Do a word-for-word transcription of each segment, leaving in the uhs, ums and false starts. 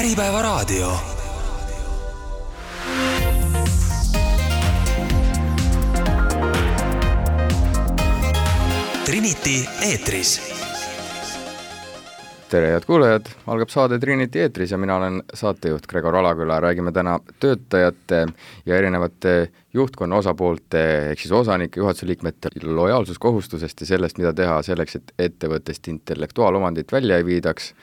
Äripäevaraadio. Trinity eetris. Tere head kuulajad, algab saade Trinity eetris ja mina olen saatejuht Gregor Alaküla. Räägime täna töötajate ja erinevate juhtkonna osapoolte ehk siis osanike, juhatuse liikmete lojaalsuskohustusest ja sellest, mida teha selleks, et ettevõttest intellektuaalomandit välja ei viidaks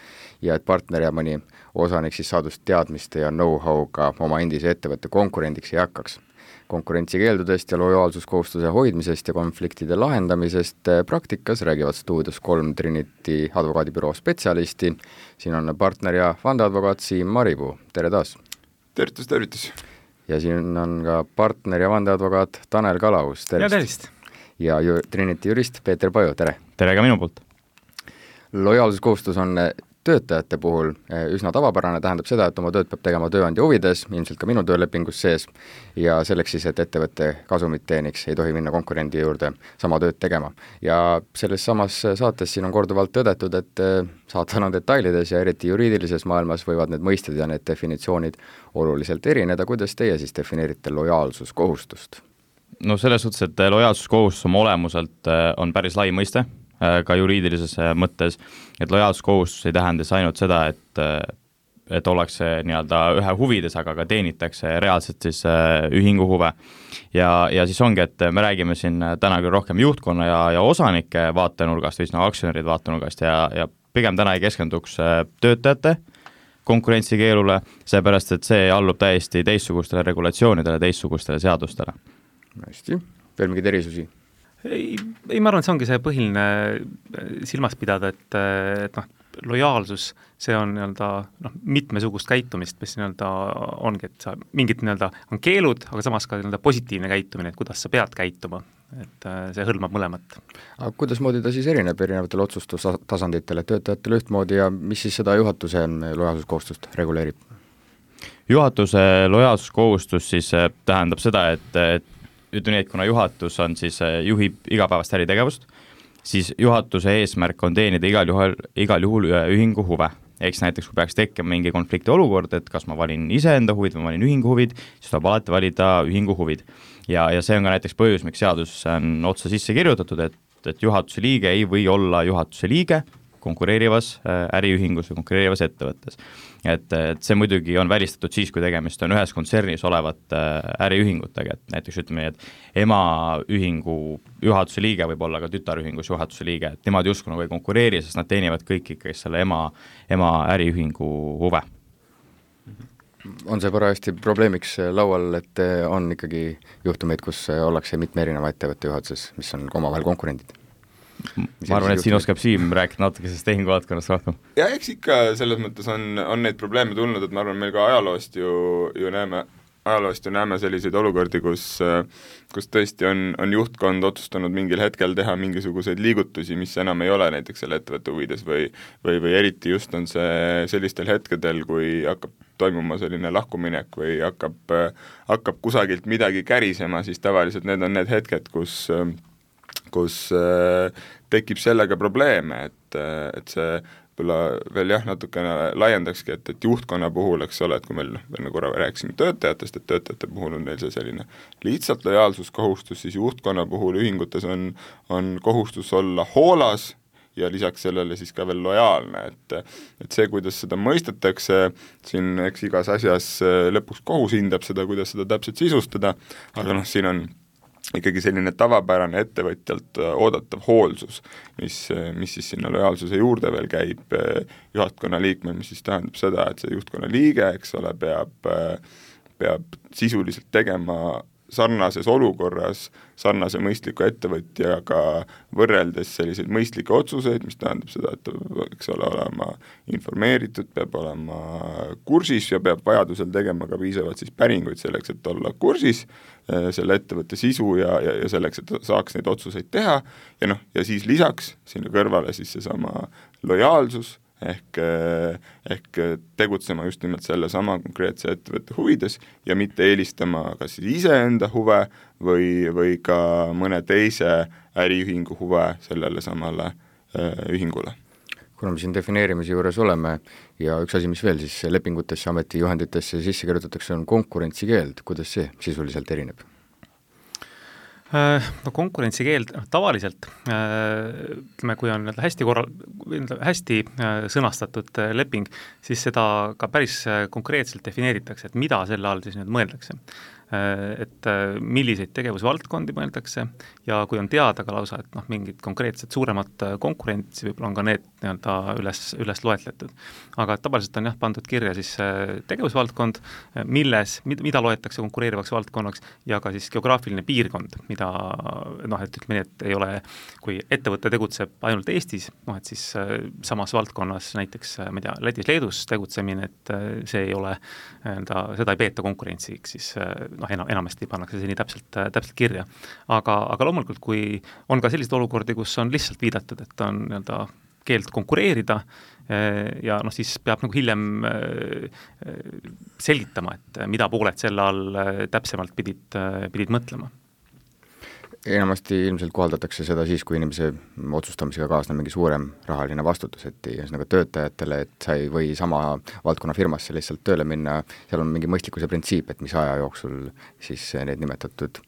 ja et partner ja mõni osanik siis saadust teadmiste ja know-how'ga oma endise ettevõtte konkurendiks ei hakkaks. Konkurentsikeeldudest ja lojaalsuskohustuse hoidmisest ja konfliktide lahendamisest praktikas räägivad stuudios kolm Trinity advokaadibüroo spetsialisti. Siin on partner ja vandeadvokaat Siim Maripuu. Tere taas! Tervitus, tervitus! Ja siin on ka partner ja vandeadvokaat Tanel Kalaus. Ja tervist! Ja ju, Trinity jurist Peeter Paju. Tere! Tere ka minu poolt! Lojaalsuskohustus on töötajate puhul üsna tavapärane, tähendab seda, et oma tööd peab tegema tööandja huvides, ilmselt ka minu töölepingus sees, ja selleks siis, et ettevõtte kasumit teeniks, ei tohi minna konkurendi juurde sama tööd tegema. Ja selles samas saates siin on korduvalt tõdetud, et saatan on detailides ja eriti juriidilises maailmas võivad need mõisted ja need definitsioonid oluliselt erineda. Kuidas teie siis defineerite lojaalsuskohustust? No selles suhtes, et lojaalsuskohustus oma olemuselt on päris lai mõiste, ka juriidilises mõttes, et lojaalsuskohustus ei tähenda ainult seda, et, et ollakse nii-öelda ühe huvides, aga ka teenitakse reaalselt siis ühingu huve. Ja, ja siis ongi, et me räägime siin täna küll rohkem juhtkonna ja, ja osanike vaatenurgast või nagu aktsionärid vaatenurgast ja, ja pigem täna ei keskenduks töötajate konkurentsikeelule, seepärast, et see allub täiesti teistsugustele regulatsioonidele, teistsugustele seadustele. Hästi, veel mingid erisusi? Ei, ei, ma arvan, et see ongi see põhiline silmas pidada, et, et noh, lojaalsus, see on nii-öelda noh, mitmesugust käitumist, mis nii-öelda ongi, et sa mingid nii-öelda on keelud, aga samas ka nii-öelda positiivne käitumine, et kuidas sa pead käituma, et see hõlmab mõlemat. Aga kuidas moodi ta siis erineb erinevatel otsustustasanditel, et töötajatel ühtmoodi ja mis siis seda juhatuse lojaalsuskohustust reguleerib? Juhatuse lojaalsuskohustus siis tähendab seda, et, et ütleme nii, et kuna juhatus on siis, juhib igapäevast äritegevust, siis juhatuse eesmärk on teenida igal juhul, igal juhul ühingu huve. Eks näiteks, kui peaks tekkima mingi konflikti olukord, et kas ma valin iseenda huvid või valin ühingu huvid, siis tuleb alati valida ühingu huvid. Ja, ja see on ka näiteks põhjus, miks seadus on otsa sisse kirjutatud, et, et juhatuse liige ei või olla juhatuse liige konkureerivas äriühingus või konkureerivas ettevõttes. Et, et see muidugi on välistatud siis, kui tegemist on ühes kontsernis olevat äriühingutega, et näiteks ütleme, et emaühingu juhatuse liige võib olla ka tütarühingus juhatuse liige, et nemad justkui nagu ei konkureeri, sest nad teenivad kõik ikkagi selle ema, ema äriühingu huve. On see parajasti probleemiks laual, et on ikkagi juhtumeid, kus ollakse mitme erineva ettevõtte juhatuses, mis on omavahel konkurendid? Ma arvan, et siin oskab Siim rääkida natuke sellest tehinguvaldkonnast rohkem. Ja eks ikka selles mõttes on, on neid probleeme tulnud, et ma arvan, meil ka ajaloost ju, ju näeme, ajaloost ju näeme selliseid olukordi, kus, kus tõesti on, on juhtkond otsustanud mingil hetkel teha mingisuguseid liigutusi, mis enam ei ole näiteks selle ettevõtte huvides või, või, või eriti just on see sellistel hetkedel, kui hakkab toimuma selline lahkuminek või hakkab, hakkab kusagilt midagi kärisema, siis tavaliselt need on need hetked, kus kus äh, tekib sellega probleeme, et, et see veel jah, natukene laiendakski, et, et juhtkonna puhul, eks ole, et kui meil veel korra rääkisime töötajatest, et töötajate puhul on neil see selline lihtsalt lojaalsuskohustus, siis juhtkonna puhul ühingutes on, on kohustus olla hoolas ja lisaks sellele siis ka veel lojaalne, et, et see, kuidas seda mõistetakse, siin eks igas asjas lõpuks kohus hindab seda, kuidas seda täpselt sisustada, aga noh, siin on ikkagi selline tavapärane ettevõtjalt oodatav hoolsus, mis, mis siis sinna lojaalsuse juurde veel käib juhtkonna liikme, mis siis tähendab seda, et see juhtkonna liige, eks ole, peab, peab sisuliselt tegema sarnases olukorras sarnase mõistliku ettevõtjaga võrreldes selliseid mõistlikke otsuseid, mis tähendab seda, et eks ole olema informeeritud, peab olema kursis ja peab vajadusel tegema ka piisavalt siis päringuid selleks, et olla kursis selle ettevõtte sisu ja, ja, ja selleks, et saaks neid otsuseid teha ja noh, ja siis lisaks sinna kõrvale siis seesama lojaalsus, ehk, ehk tegutsema just nimelt selle sama konkreetse ettevõtte huvides ja mitte eelistama kas siis iseenda huve või, või ka mõne teise äriühingu huve sellele samale äh, ühingule. kuna me siin defineerimise juures oleme ja üks asi, mis veel siis lepingutesse, ametijuhenditesse sisse kirjutatakse, on konkurentsikeeld, kuidas see sisuliselt erineb? No konkurentsikeeld, noh tavaliselt ütleme, kui on hästi korral-, hästi sõnastatud leping, siis seda ka päris konkreetselt defineeritakse, et mida selle all siis nüüd mõeldakse. Et milliseid tegevusvaldkondi mõeldakse ja kui on teada ka lausa, et noh, mingid konkreetsed suuremad konkurentsi, võib-olla on ka need nii-öelda üles, üles loetletud. Aga tavaliselt on jah, pandud kirja siis tegevusvaldkond, milles, mida loetakse konkureerivaks valdkonnaks ja ka siis geograafiline piirkond, mida noh, et ütleme nii, et ei ole, kui ettevõte tegutseb ainult Eestis, noh et siis samas valdkonnas näiteks, ma ei tea, Lätis, Leedus tegutsemine, et see ei ole, seda ei peeta konkurentsiks, siis noh, enam, enamasti pannakse see nii täpselt, täpselt kirja. Aga, aga loomulikult, kui on ka sellised olukordi, kus on lihtsalt viidatud, et on nii-öelda keeld konkureerida ja noh, siis peab nagu hiljem selgitama, et mida pooled selle all täpsemalt pidid, pidid mõtlema. Enamasti ilmselt kohaldatakse seda siis, kui inimese otsustamisega kaasneb mingi suurem rahaline vastutus, et ühesõnaga töötajatele, et sa ei või sama valdkonna firmasse lihtsalt tööle minna, seal on mingi mõistlikkuse printsiip, et mis aja jooksul siis need nimetatud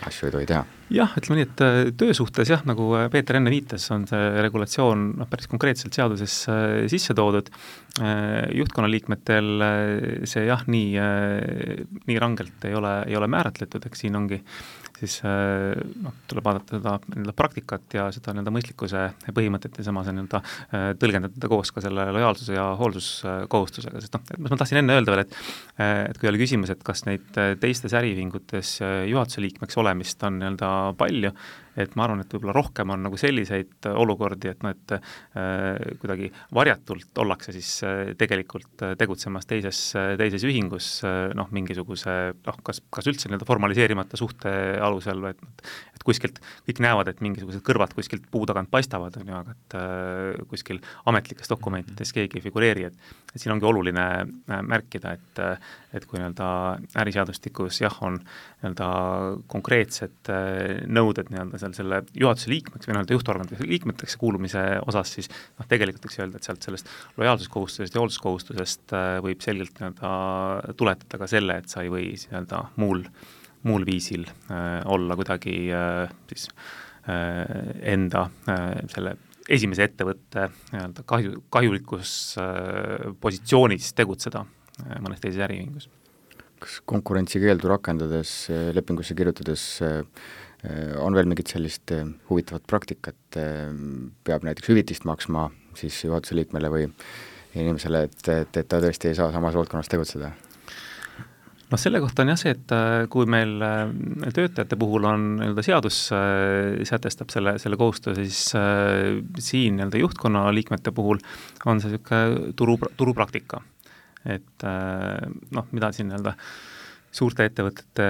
asju ei tohi teha. Jah, ütleme nii, et töösuhtes jah, nagu Peeter enne viitas, on see regulatsioon noh, päris konkreetselt seaduses sisse toodud. Juhtkonna liikmetel see jah, nii, nii rangelt ei ole, ei ole määratletud, eks siin ongi siis noh, tuleb vaadata seda nii-öelda praktikat ja seda nii-öelda mõistlikkuse põhimõtet ja samas nii-öelda tõlgendada koos ka selle lojaalsuse ja hoolsuskohustusega, sest noh, ma tahtsin enne öelda veel, et, et kui oli küsimus, et kas neid teistes äriühingutes juhatuse liikmeks olemist on nii-öelda palju, et ma arvan, et võib-olla rohkem on nagu selliseid olukordi, et noh, et äh, kuidagi varjatult ollakse siis äh, tegelikult tegutsemas teises, teises ühingus, äh, noh, mingisuguse, noh, kas, kas üldse nii-öelda formaliseerimata suhte alusel, et, et kuskilt kõik näevad, et mingisugused kõrvad kuskilt puu tagant paistavad, on ju, aga et äh, kuskil ametlikes dokumentides keegi ei figureeri, et, et siin ongi oluline äh, märkida, et, et kui nii-öelda äriseadustikus jah, on nii-öelda konkreetsed äh, nõuded nii-öelda seal selle juhatuse liikmeks või nii-öelda juhtorganite liikmeteks kuulumise osas, siis noh, tegelikult võiks öelda, et sealt sellest lojaalsuskohustusest ja hoolsuskohustusest äh, võib selgelt nii-öelda tuletada ka selle, et sa ei või nii-öelda muul, muul viisil äh, olla kuidagi äh, siis äh, enda äh, selle esimese ettevõtte nii-öelda kahju, kahjulikus äh, positsioonis tegutseda äh, mõnes teises äriühingus. Kas konkurentsikeeldu rakendades, lepingusse kirjutades on veel mingit sellist huvitavat praktikat, peab näiteks hüvitist maksma siis juhatuse liikmele või inimesele, et, et, et ta tõesti ei saa samas valdkonnas tegutseda? No selle kohta on jah see, et kui meil töötajate puhul on nii-öelda seadus sätestab selle, selle kohustuse, siis siin nii-öelda juhtkonna liikmete puhul on see niisugune turu, turupraktika. Et noh, mida siin nii-öelda suurte ettevõtete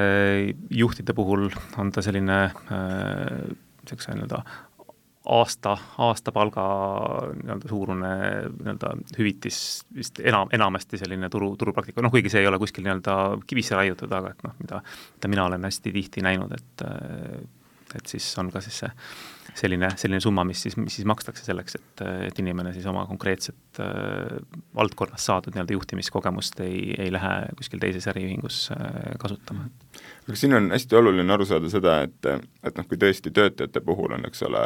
juhtide puhul on ta selline selline nii-öelda aasta, aastapalga nii-öelda suurune nii-öelda hüvitis vist enam, enamasti selline turu, turupraktika, noh kuigi see ei ole kuskil nii-öelda kivisse raiutud, aga et noh, mida, mida mina olen hästi tihti näinud, et, et siis on ka siis see selline, selline summa, mis siis, mis siis makstakse selleks, et, et inimene siis oma konkreetset äh, valdkonnas saadud nii-öelda juhtimiskogemust ei, ei lähe kuskil teises äriühingus äh, kasutama. Aga siin on hästi oluline aru saada seda, et, et noh, kui tõesti töötajate puhul on, eks ole,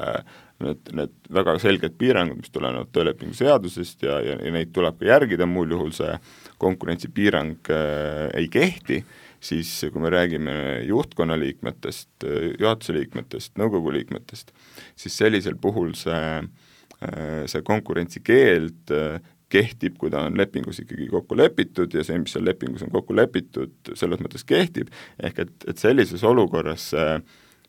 need, need väga selged piirangud, mis tulenevad töölepingu seadusest ja, ja, ja neid tuleb ka järgida, muul juhul see konkurentsipiirang äh, ei kehti, siis kui me räägime juhtkonna liikmetest, juhatuse liikmetest, nõukogu liikmetest, siis sellisel puhul see, see konkurentsikeeld kehtib, kui ta on lepingus ikkagi kokku lepitud ja see, mis seal lepingus on kokku lepitud, selles mõttes kehtib, ehk et, et sellises olukorras,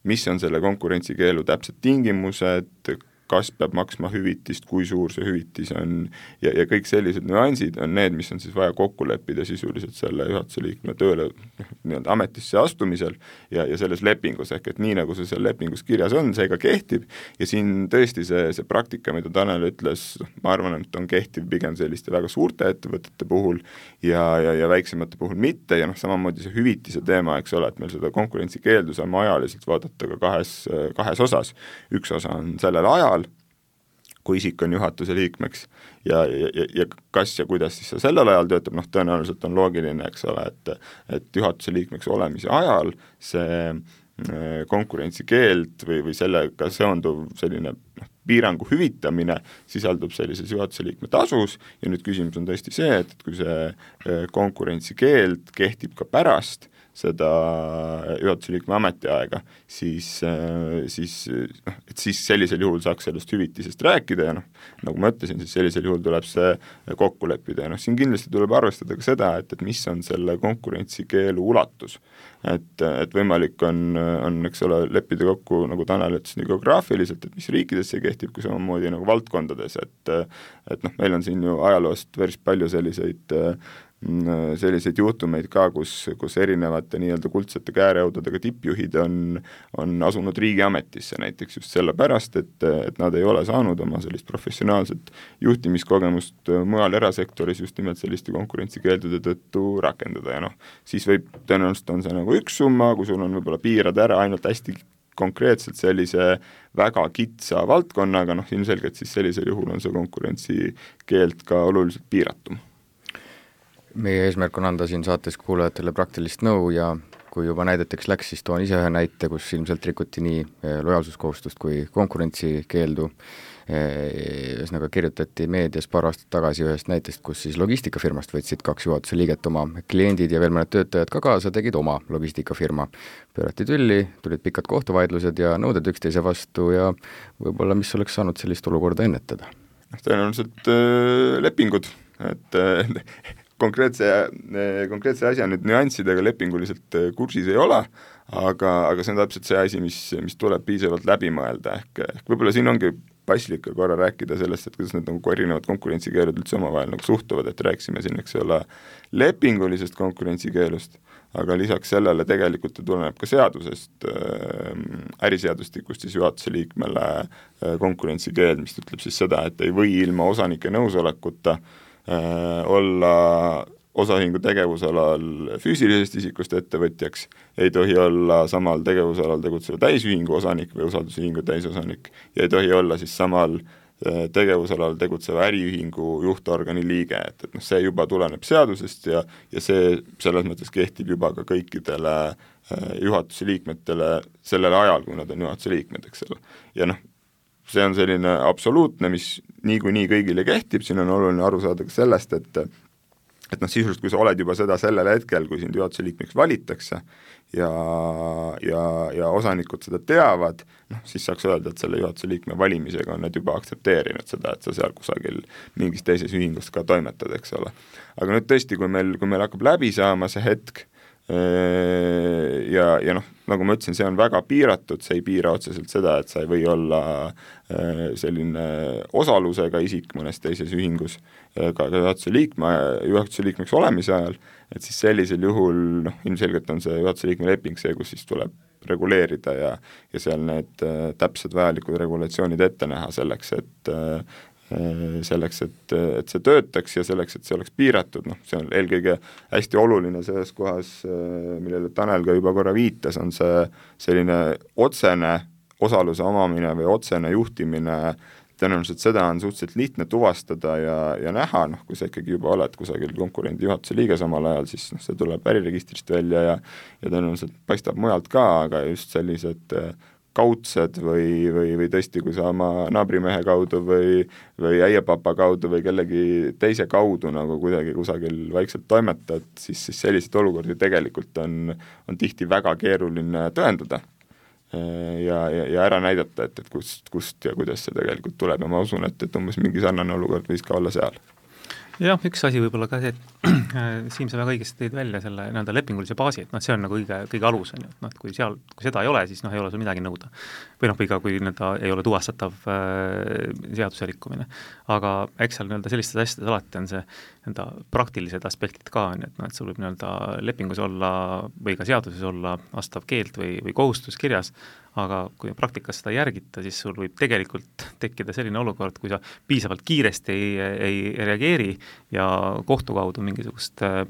mis on selle konkurentsikeelu täpsed tingimused, kas peab maksma hüvitist, kui suur see hüvitis on ja, ja kõik sellised nüansid on need, mis on siis vaja kokku leppida sisuliselt selle juhatuse liikme tööle nii-öelda ametisse astumisel ja, ja selles lepingus, ehk et nii nagu see seal lepingus kirjas on, see ka kehtib ja siin tõesti see, see praktika, mida Tanel ütles, ma arvan, et on kehtiv pigem selliste väga suurte ettevõtete puhul ja, ja, ja väiksemate puhul mitte ja noh, samamoodi see hüvitise teema, eks ole, et meil seda konkurentsikeeldu saame ajaliselt vaadata ka kahes, kahes osas. Üks osa on sellel ajal, kui isik on juhatuse liikmeks ja, ja, ja kas ja kuidas siis see sellel ajal töötab, noh tõenäoliselt on loogiline, eks ole, et, et juhatuse liikmeks olemise ajal see konkurentsikeeld või, või sellega seonduv selline noh, piirangu hüvitamine sisaldub sellises juhatuse liikme tasus ja nüüd küsimus on tõesti see, et, et kui see konkurentsikeeld kehtib ka pärast seda juhatuse liikme ametiaega, siis, siis, noh, et siis sellisel juhul saaks sellest hüvitisest rääkida ja noh, nagu ma ütlesin, siis sellisel juhul tuleb see kokku leppida ja noh, siin kindlasti tuleb arvestada ka seda, et, et mis on selle konkurentsikeelu ulatus. Et, et võimalik on, on, eks ole, leppida kokku, nagu Tanel ütles, nii geograafiliselt, et mis riikides see kehtib, kui samamoodi nagu valdkondades, et, et noh, meil on siin ju ajaloost päris palju selliseid selliseid juhtumeid ka, kus, kus erinevate nii-öelda kuldsete käärehudadega tippjuhid on, on asunud riigiametisse näiteks just sellepärast, et, et nad ei ole saanud oma sellist professionaalset juhtimiskogemust mujal erasektoris just nimelt selliste konkurentsikeeldude tõttu rakendada ja noh, siis võib, tõenäoliselt on see nagu üks summa, kui sul on võib-olla piirad ära ainult hästi konkreetselt sellise väga kitsa valdkonnaga, noh ilmselgelt siis sellisel juhul on see konkurentsikeeld ka oluliselt piiratum. Meie eesmärk on anda siin saates kuulajatele praktilist nõu ja kui juba näideteks läks, siis toon ise ühe näite, kus ilmselt rikuti nii lojaalsuskohustust kui konkurentsikeeldu. Ühesõnaga kirjutati meedias paar aastat tagasi ühest näitest, kus siis logistikafirmast võtsid kaks juhatuse liiget oma kliendid ja veel mõned töötajad ka kaasa, tegid oma logistikafirma. Pöörati tülli, tulid pikad kohtuvaidlused ja nõuded üksteise vastu ja võib-olla mis oleks saanud sellist olukorda ennetada? Tõenäoliselt äh, lepingud, et äh, konkreetse, konkreetse asja nüüd nüanssidega lepinguliselt kursis ei ole, aga, aga see on täpselt see asi, mis, mis tuleb piisavalt läbi mõelda, ehk, ehk võib-olla siin ongi paslik korra rääkida sellest, et kuidas need nagu erinevad konkurentsikeelud üldse omavahel nagu suhtuvad, et rääksime siin, eks ole, lepingulisest konkurentsikeelust, aga lisaks sellele tegelikult tuleneb ka seadusest, äriseadustikust siis juhatuse liikmele konkurentsikeeld, mis ütleb siis seda, et ei või ilma osanike nõusolekuta olla osaühingu tegevusalal füüsilisest isikust ettevõtjaks, ei tohi olla samal tegevusalal tegutseva täisühingu osanik või usaldusühingu täisosanik ja ei tohi olla siis samal tegevusalal tegutseva äriühingu juhtorgani liige, et, et noh, see juba tuleneb seadusest ja, ja see selles mõttes kehtib juba ka kõikidele juhatuse liikmetele sellel ajal, kui nad on juhatuse liikmed, eks ole. Ja noh, see on selline absoluutne, mis niikuinii kõigile kehtib, siin on oluline aru saada ka sellest, et et noh, sisuliselt kui sa oled juba seda sellel hetkel, kui sind juhatuse liikmeks valitakse ja, ja, ja osanikud seda teavad, noh, siis saaks öelda, et selle juhatuse liikme valimisega on nad juba aktsepteerinud seda, et sa seal kusagil mingis teises ühingus ka toimetad, eks ole. Aga nüüd tõesti, kui meil, kui meil hakkab läbi saama see hetk, ja, ja noh, nagu ma ütlesin, see on väga piiratud, see ei piira otseselt seda, et sa ei või olla selline osalusega isik mõnes teises ühingus ka juhatuse liikme, juhatuse liikmeks olemise ajal, et siis sellisel juhul noh, ilmselgelt on see juhatuse liikme leping see, kus siis tuleb reguleerida ja, ja seal need täpsed vajalikud regulatsioonid ette näha selleks, et selleks, et, et see töötaks ja selleks, et see oleks piiratud, noh, see on eelkõige hästi oluline selles kohas, millele Tanel ka juba korra viitas, on see selline otsene osaluse omamine või otsene juhtimine, tõenäoliselt seda on suhteliselt lihtne tuvastada ja, ja näha, noh, kui sa ikkagi juba oled kusagil konkurendi juhatuse liige samal ajal, siis noh, see tuleb äriregistrist välja ja, ja tõenäoliselt paistab mujalt ka, aga just sellised kaudsed või, või, või tõesti, kui sa oma naabrimehe kaudu või, või äiepapa kaudu või kellegi teise kaudu nagu kuidagi kusagil vaikselt toimetad, siis, siis selliseid olukordi tegelikult on, on tihti väga keeruline tõendada ja, ja, ja ära näidata, et, et kust, kust ja kuidas see tegelikult tuleb ja ma usun, et, et umbes mingi sarnane olukord võis ka olla seal. Jah, üks asi võib-olla ka see, et Siim, sa väga õigesti tõid välja selle nii-öelda lepingulise baasi, et noh, see on nagu kõige, kõige alus, on ju, et noh, et kui seal, kui seda ei ole, siis noh, ei ole sul midagi nõuda. Või noh, või ka kui nii-öelda ei ole tuvastatav äh, seaduse rikkumine. Aga eks seal nii-öelda sellistes asjades alati on see nii-öelda praktilised aspektid ka, on ju, et noh, et sul võib nii-öelda lepingus olla või ka seaduses olla vastav keeld või, või kohustus kirjas, aga kui praktikas seda järgita, siis sul võib tegelikult tekkida selline olukord, kui sa piisavalt kiiresti ei, ei reageeri ja kohtu kaudu mingisugust äh,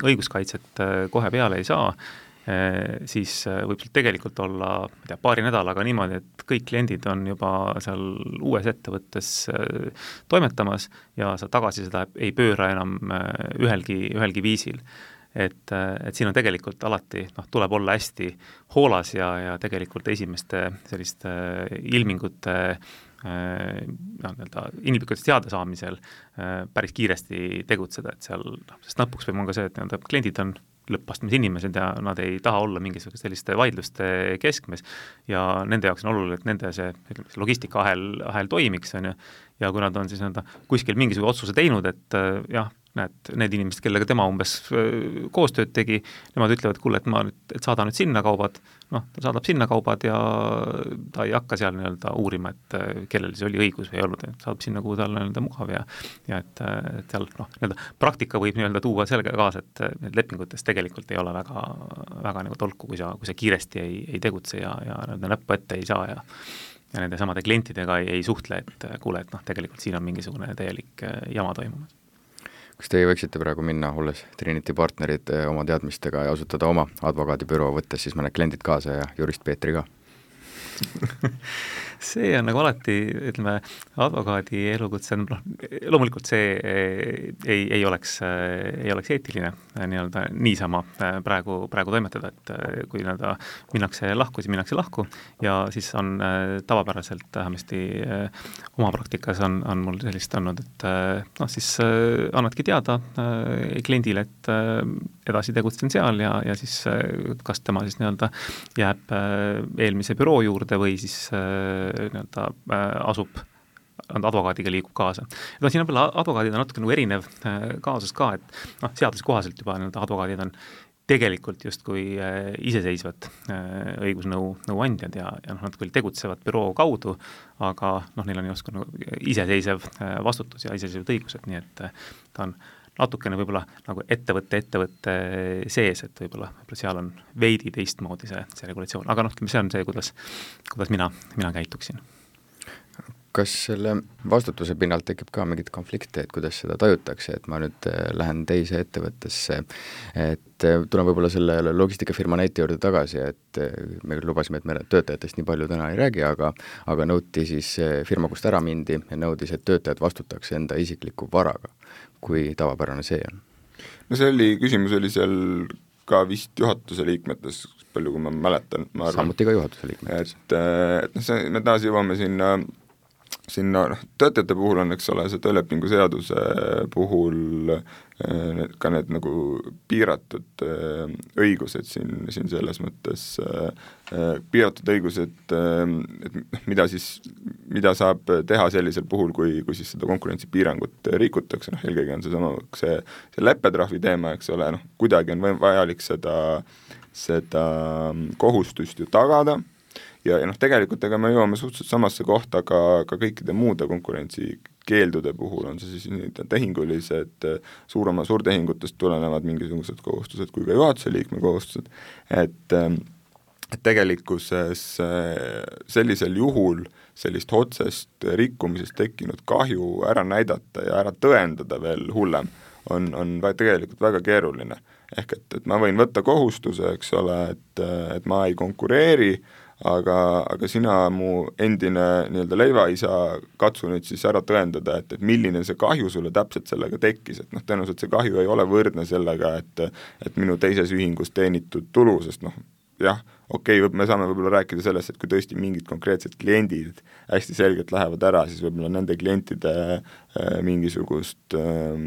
õiguskaitset äh, kohe peale ei saa siis võib tegelikult olla ma tea, paari nädalaga niimoodi, et kõik kliendid on juba seal uues ettevõttes toimetamas ja sa tagasi seda ei pööra enam ühelgi, ühelgi viisil. Et, et siin on tegelikult alati, noh, tuleb olla hästi hoolas ja, ja tegelikult esimeste selliste ilmingute noh, nii-öelda inimlikutest teada saamisel päris kiiresti tegutseda, et seal, noh, sest lõpuks peab on ka see, et nii-öelda kliendid on lõppastmes inimesed ja nad ei taha olla mingisugust selliste vaidluste keskmes ja nende jaoks on oluline, et nende see, see logistika-ahel ahel toimiks, on ju, ja kui nad on siis nii-öelda kuskil mingisugune otsuse teinud, et jah, näed, need inimesed, kellega tema umbes koostööd tegi, nemad ütlevad, kuule, et ma nüüd, et saada nüüd sinna kaubad, noh, ta saadab sinna kaubad ja ta ei hakka seal nii-öelda uurima, et kellel see oli õigus või ei olnud, et saadab sinna, kuhu tal nii-öelda mugav ja ja et, et seal, noh, nii-öelda praktika võib nii-öelda tuua sellega kaasa, et need lepingutes tegelikult ei ole väga, väga nagu tolku, kui sa, kui sa kiiresti ei, ei tegutse ja, ja nii-öelda näppu ette ei saa ja ja nende samade klientidega ei, ei suhtle, et kuule, et noh, tegelikult siin on mingisugune täielik jama toimumas. Kas teie võiksite praegu minna, olles Trinity partnerid oma teadmistega ja asutada oma advokaadibüroo, võttes siis mõned kliendid kaasa ja jurist Peetri ka? see on nagu alati, ütleme, advokaadi elukutse, noh, loomulikult see ei, ei oleks, ei oleks eetiline nii-öelda niisama praegu, praegu toimetada, et kui nii-öelda minnakse lahku, siis minnakse lahku ja siis on tavapäraselt vähemasti oma praktikas on, on mul sellist olnud, et noh, siis annadki teada kliendile, et edasi tegutsen seal ja, ja siis kas tema siis nii-öelda jääb eelmise büroo juurde või siis nii-öelda asub, advokaadiga liigub kaasa. No siin on veel advokaadid on natuke nagu erinev kaasus ka, et noh, seaduse kohaselt juba nii-öelda advokaadid on tegelikult justkui iseseisvad õigusnõu nõuandjad ja, ja noh, nad küll tegutsevad büroo kaudu, aga noh, neil on justkui nagu iseseisev vastutus ja iseseisvad õigused, nii et ta on natukene võib-olla nagu ettevõtte, ettevõtte sees, et võib-olla, võib-olla seal on veidi teistmoodi see, see regulatsioon, aga noh, see on see, kuidas, kuidas mina, mina käituksin. Kas selle vastutuse pinnalt tekib ka mingit konflikte, et kuidas seda tajutakse, et ma nüüd lähen teise ettevõttesse, et tulen võib-olla selle logistikafirma näite juurde tagasi, et me lubasime, et me töötajatest nii palju täna ei räägi, aga, aga nõuti siis firma, kust ära mindi ja nõudis, et töötajad vastutaks enda isikliku varaga, kui tavapärane see on. No see oli, küsimus oli seal ka vist juhatuse liikmetes, palju kui ma mäletan, ma arvan. Samuti ka juhatuse liikmetes. Et, et no see, me taas jõuame sinna sinna, noh, töötajate puhul on, eks ole, see töölepingu seaduse puhul ka need nagu piiratud õigused siin, siin selles mõttes, piiratud õigused, et mida siis, mida saab teha sellisel puhul, kui, kui siis seda konkurentsipiirangut rikutakse, noh, eelkõige on see sama, see, see leppetrahvi teema, eks ole, noh, kuidagi on vajalik seda, seda kohustust ju tagada, ja, ja noh, tegelikult ega me jõuame suhteliselt samasse kohta ka, ka kõikide muude konkurentsikeeldude puhul, on see siis nii tehingulised, suurema suurtehingutest tulenevad mingisugused kohustused kui ka juhatuse liikme kohustused, et, et tegelikkuses sellisel juhul sellist otsest rikkumisest tekkinud kahju ära näidata ja ära tõendada veel hullem, on, on tegelikult väga keeruline. Ehk et, et ma võin võtta kohustuse, eks ole, et, et ma ei konkureeri, aga, aga sina, mu endine nii-öelda leivaisa, katsu nüüd siis ära tõendada, et, et milline see kahju sulle täpselt sellega tekkis, et noh, tõenäoliselt see kahju ei ole võrdne sellega, et, et minu teises ühingus teenitud tulu, sest noh, jah, okei okay,, me saame võib-olla rääkida sellest, et kui tõesti mingid konkreetsed kliendid hästi selgelt lähevad ära, siis võib-olla nende klientide äh, mingisugust äh,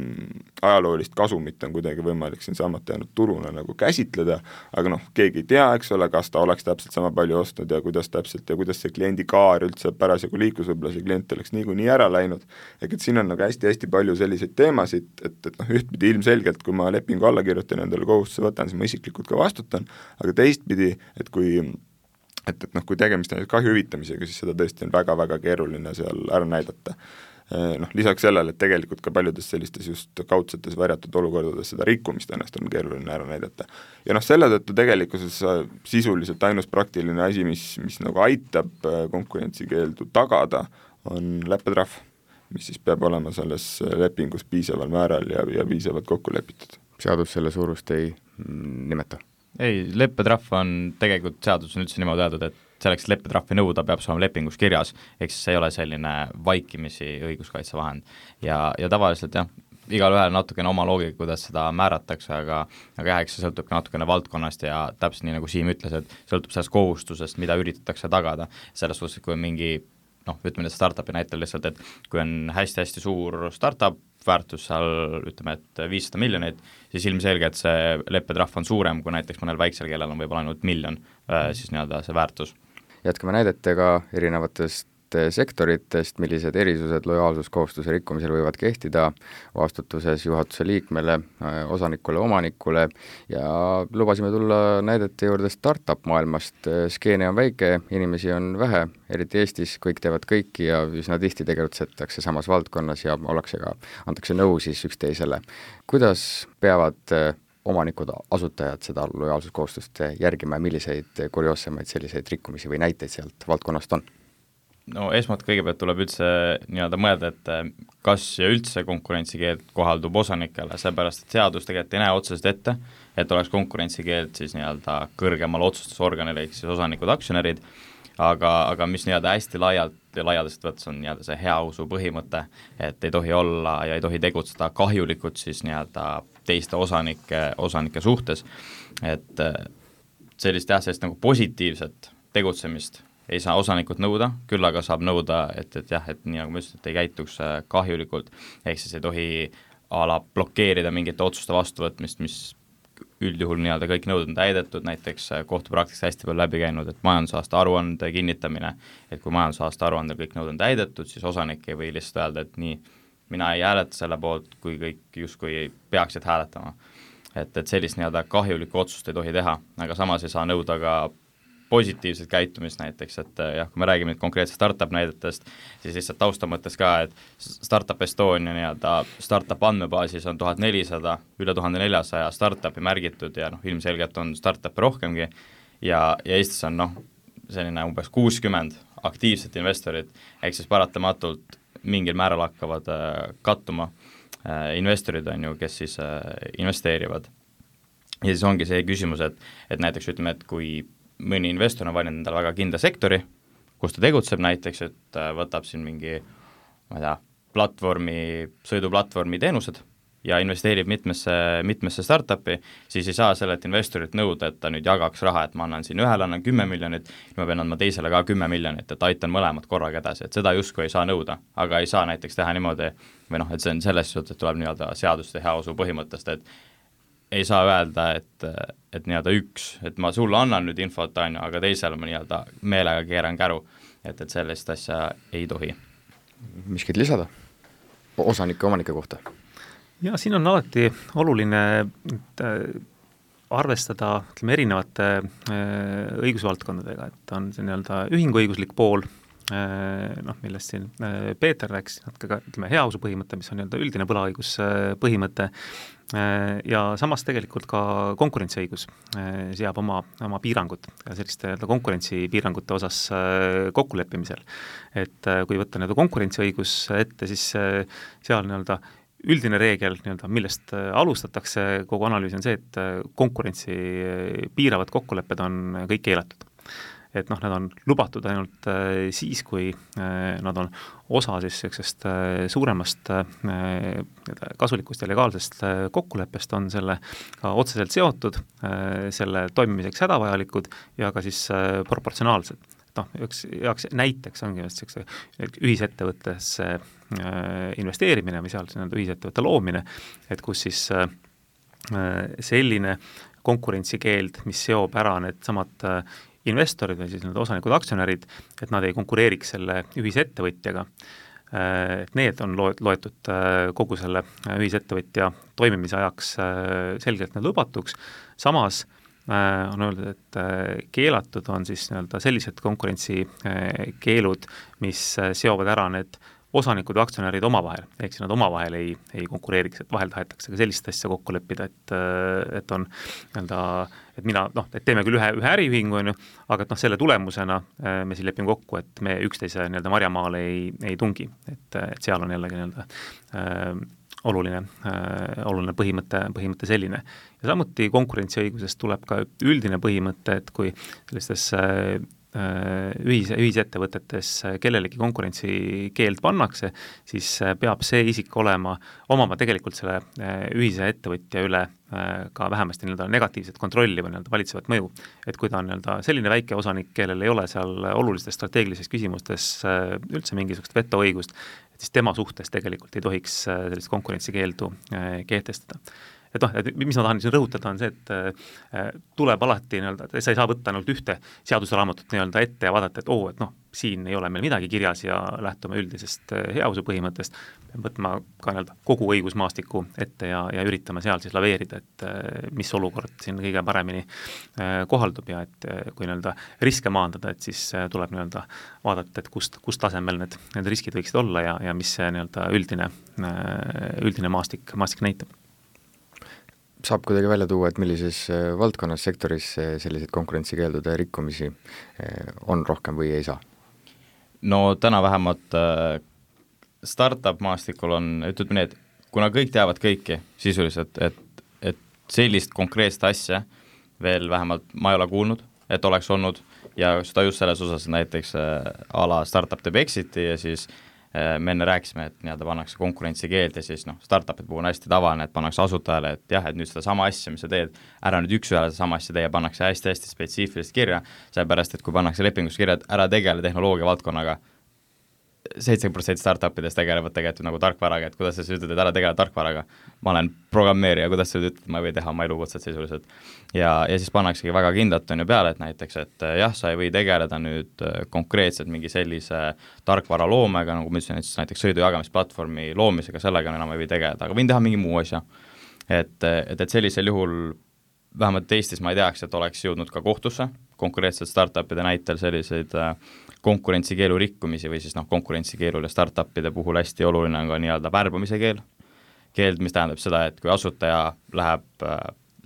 ajaloolist kasumit on kuidagi võimalik siin saamata jäänud turuna nagu käsitleda, aga noh, keegi ei tea, eks ole, kas ta oleks täpselt sama palju ostnud ja kuidas täpselt ja kuidas see kliendi kaar üldse parasjagu liiklus, võib-olla see klient oleks niikuinii ära läinud, ehk et siin on nagu hästi-hästi palju selliseid teemasid, et, et noh, ühtpidi ilmselgelt, kui ma lepingu alla kirjutan ja endale kohustuse võtan, siis ma isiklikult ka vastutan, aga teistpidi, et kui et, et noh, kui tegemist on kahju hüvitamisega, siis seda tõesti on väga-väga keeruline seal ära näidata. Noh, lisaks sellele, et tegelikult ka paljudes sellistes just kaudsetes varjatud olukordades seda rikkumist ennast on keeruline ära näidata. Ja noh, selle tõttu tegelikkuses sisuliselt ainus praktiline asi, mis, mis nagu aitab konkurentsikeeldu tagada, on leppetrahv, mis siis peab olema selles lepingus piisaval määral ja, ja piisavalt kokku lepitud. Seadus selle suurust ei nimeta? ei, leppetrahv on tegelikult seadus on üldse niimoodi öeldud, et selleks, et leppetrahvi nõuda, peab see olema lepingus kirjas, ehk siis see ei ole selline vaikimisi õiguskaitsevahend. Ja, ja tavaliselt jah, igal ühel natukene oma loogika, kuidas seda määratakse, aga aga jah, eks see sõltub ka natukene valdkonnast ja täpselt nii, nagu Siim ütles, et sõltub sellest kohustusest, mida üritatakse tagada, selles suhtes, kui on mingi noh, ütleme startupi näitel lihtsalt, et kui on hästi-hästi suur startup, väärtus seal ütleme, et viissada miljonit, siis ilmselgelt see leppetrahv on suurem, kui näiteks mõnel väiksel, kellel on võib-olla ainult miljon, siis nii-öelda see väärtus. Jätkame näidetega erinevatest sektoritest, millised erisused lojaalsuskohustuse rikkumisel võivad kehtida vastutuses juhatuse liikmele, osanikule, omanikule ja lubasime tulla näidete juurde startup maailmast. Skeene on väike, inimesi on vähe, eriti Eestis, kõik teevad kõiki ja üsna tihti tegutsetakse samas valdkonnas ja ollakse ka, antakse nõu siis üksteisele. Kuidas peavad omanikud, asutajad seda lojaalsuskohustust järgima ja milliseid kurioossemaid selliseid rikkumisi või näiteid sealt valdkonnast on? No esmalt kõigepealt tuleb üldse nii-öelda mõelda, et kas ja üldse konkurentsikeeld kohaldub osanikele, seepärast et seadus tegelikult ei näe otseselt ette, et oleks konkurentsikeeld siis nii-öelda kõrgemal otsustusorganil, ehk siis osanikud, aktsionärid, aga, aga mis nii-öelda hästi laialt ja laialdast võttes on nii-öelda see heausu põhimõte, et ei tohi olla ja ei tohi tegutseda kahjulikult siis nii-öelda teiste osanike, osanike suhtes, et sellist jah, sellist nagu positiivset tegutsemist ei saa osanikud nõuda, küll aga saab nõuda, et, et jah, et nii nagu ma ütlesin, et ei käituks kahjulikult, ehk siis ei tohi a la blokeerida mingite otsuste vastuvõtmist, mis üldjuhul nii-öelda kõik nõuded on täidetud, näiteks kohtupraktikas hästi palju läbi käinud, et majandusaasta aruande kinnitamine, et kui majandusaasta aruandel kõik nõuded on täidetud, siis osanik ei või lihtsalt öelda, et nii, mina ei hääleta selle poolt, kui kõik justkui peaksid hääletama. Et, et sellist nii-öelda kahjulikku otsust ei tohi teha, aga samas ei saa nõuda ka positiivset käitumist näiteks, et jah, kui me räägime nüüd konkreetselt startup näidetest, siis lihtsalt tausta mõttes ka, et Startup Estonia nii-öelda startup andmebaasis on tuhat nelisada, üle tuhande neljasaja startupi märgitud ja noh, ilmselgelt on startupi rohkemgi ja, ja Eestis on noh, selline umbes kuuskümmend aktiivset investorit, ehk siis paratamatult mingil määral hakkavad äh, kattuma äh, investorid on ju, kes siis äh, investeerivad. Ja siis ongi see küsimus, et, et näiteks ütleme, et kui mõni investor on valinud endale väga kindla sektori, kus ta tegutseb näiteks, et võtab siin mingi, ma ei tea, platvormi, sõiduplatvormi teenused ja investeerib mitmesse, mitmesse startupi, siis ei saa sellelt investorilt nõuda, et ta nüüd jagaks raha, et ma annan siin ühele, annan kümme miljonit, ma pean andma teisele ka kümme miljonit, et aitan mõlemad korraga edasi, et seda justkui ei saa nõuda, aga ei saa näiteks teha niimoodi, või noh, et see on selles suhtes, et tuleb nii-öelda seaduste heausu põhimõttest, et ei saa öelda, et, et nii-öelda üks, et ma sulle annan nüüd infot, on ju, aga teisele ma nii-öelda meelega keeran käru, et, et sellist asja ei tohi. Miskid lisada osanike omanike kohta? Ja siin on alati oluline arvestada ütleme, erinevate õigusvaldkondadega, et on see nii-öelda ühinguõiguslik pool, noh, millest siin Peeter rääkis, natuke ka ütleme, heausu põhimõte, mis on nii-öelda üldine võlaõigus põhimõte, ja samas tegelikult ka konkurentsiõigus seab oma, oma piirangud selliste konkurentsipiirangute osas kokkuleppimisel. Et kui võtta nii-öelda konkurentsiõigus ette, siis seal nii-öelda üldine reegel, nii-öelda, millest alustatakse kogu analüüs on see, et konkurentsi piiravad kokkulepped on kõik keelatud. Et noh, nad on lubatud ainult äh, siis, kui äh, nad on osa siis sellisest äh, suuremast äh, kasulikust ja legaalsest äh, kokkuleppest, on selle ka otseselt seotud, äh, selle toimimiseks hädavajalikud ja ka siis äh, proportsionaalsed. Noh, üks jaoks näiteks ongi just ühisettevõttesse äh, investeerimine või seal ühisettevõtte loomine, et kus siis äh, selline konkurentsikeeld, mis seob ära need samad äh, investorid või siis need osanikud, aktsionärid, et nad ei konkureeriks selle ühisettevõtjaga. Et need on loetud kogu selle ühisettevõtja toimimise ajaks selgelt need lubatuks. Samas on öeldud, et keelatud on siis nii-öelda sellised konkurentsikeelud, mis seovad ära need osanikud või aktsionärid omavahel, ehk siis nad omavahel ei, ei konkureeriks, et vahel tahetakse ka sellist asja kokku leppida, et, et on nii-öelda, et mina, noh, et teeme küll ühe, ühe äriühingu, on ju, aga et noh, selle tulemusena me siin lepime kokku, et me üksteise nii-öelda marjamaale ei, ei tungi, et, et seal on jällegi nii-öelda äh, oluline, oluline põhimõte, põhimõte selline. Ja samuti konkurentsiõigusest tuleb ka üldine põhimõte, et kui sellistes ühise, ühisettevõtetes kellelegi konkurentsikeeld pannakse, siis peab see isik olema, omama tegelikult selle ühise ettevõtja üle ka vähemasti nii-öelda negatiivset kontrolli või nii-öelda valitsevat mõju. Et kui ta on nii-öelda selline väike osanik, kellel ei ole seal olulistes strateegilistes küsimustes üldse mingisugust vetoõigust, et siis tema suhtes tegelikult ei tohiks sellist konkurentsikeeldu kehtestada. Et noh, et mis ma tahan siin rõhutada on see, et tuleb alati nii-öelda, sa ei saa võtta ainult ühte seadusraamatut nii-öelda ette ja vaadata, et oo, et noh, siin ei ole meil midagi kirjas ja lähtume üldisest heause põhimõttest, võtma ka nii-öelda kogu õigusmaastiku ette ja, ja üritama seal siis laveerida, et mis olukord siin kõige paremini kohaldub ja et kui nii-öelda riske maandada, et siis tuleb nii-öelda vaadata, et kust, kust tasemel need, need riskid võiksid olla ja, ja mis see nii-öelda üldine, üldine maastik, maastik näitab. Saab kuidagi välja tuua, et millises valdkonnas, sektoris selliseid konkurentsikeeldude rikkumisi on rohkem või ei saa? No täna vähemalt startup maastikul on, ütleme nii, et kuna kõik teavad kõiki sisuliselt, et, et sellist konkreetset asja veel vähemalt ma ei ole kuulnud, et oleks olnud ja seda just selles osas näiteks a la startup teeb exiti ja siis me enne rääkisime, et nii-öelda pannakse konkurentsikeeld ja siis noh, startupid puhul on hästi tavaline, et pannakse asutajale, et jah, et nüüd seda sama asja, mis sa teed, ära nüüd üks ühele seda sama asja teie, pannakse hästi-hästi spetsiifilist kirja, seepärast, et kui pannakse lepingus kirja, et ära tegele tehnoloogia valdkonnaga, seitsekümmend protsenti startupidest tegelevad tegelikult nagu tarkvaraga, et kuidas sa ütled, et ära tegele tarkvaraga, ma olen programmeerija, kuidas sa ütled, ma ei või teha oma elukutset sisuliselt. Ja, ja siis pannaksegi väga kindlalt on ju peale, et näiteks, et jah, sa ei või tegeleda nüüd konkreetselt mingi sellise tarkvara loomega, nagu ma ütlesin, et näiteks sõidujagamisplatvormi loomisega, sellega enam ei või tegeleda, aga võin teha mingi muu asja. Et, et, et sellisel juhul vähemalt Eestis ma ei teaks, et oleks jõudnud ka kohtusse, konkreetselt startupide näitel selliseid konkurentsikeelu rikkumisi või siis noh, konkurentsikeelul ja startupide puhul hästi oluline on ka nii-öelda värbamise keel. Keeld, mis tähendab seda, et kui asutaja läheb,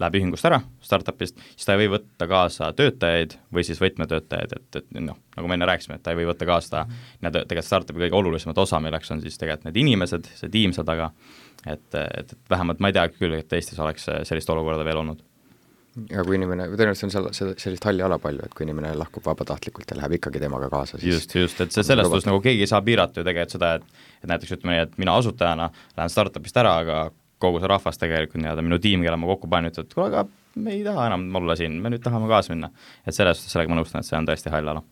läheb ühingust ära startupist, siis ta ei või võtta kaasa töötajaid või siis võtmetöötajaid, et, et noh, nagu me enne rääkisime, et ta ei või võtta kaasa mm-hmm. tegelikult startupi kõige olulisemat osa, milleks on siis tegelikult need inimesed, see tiim seal taga, et, et, et vähemalt ma ei tea küll, et Eestis oleks sellist olukorda veel olnud. Ja kui inimene, tõenäoliselt on seal sellist halli ala palju, et kui inimene lahkub vabatahtlikult ja läheb ikkagi temaga kaasa, siis just, just, et see sellest nagu keegi ei saa piirata ju tegelikult seda, et, et näiteks ütleme nii, et mina asutajana lähen startupist ära, aga kogu see rahvas tegelikult nii-öelda minu tiim, kelle ma kokku panin, ütleb, et kuule, aga me ei taha enam olla siin, me nüüd tahame kaasa minna. Et selles suhtes sellega ma nõustan, et see on tõesti hall ala.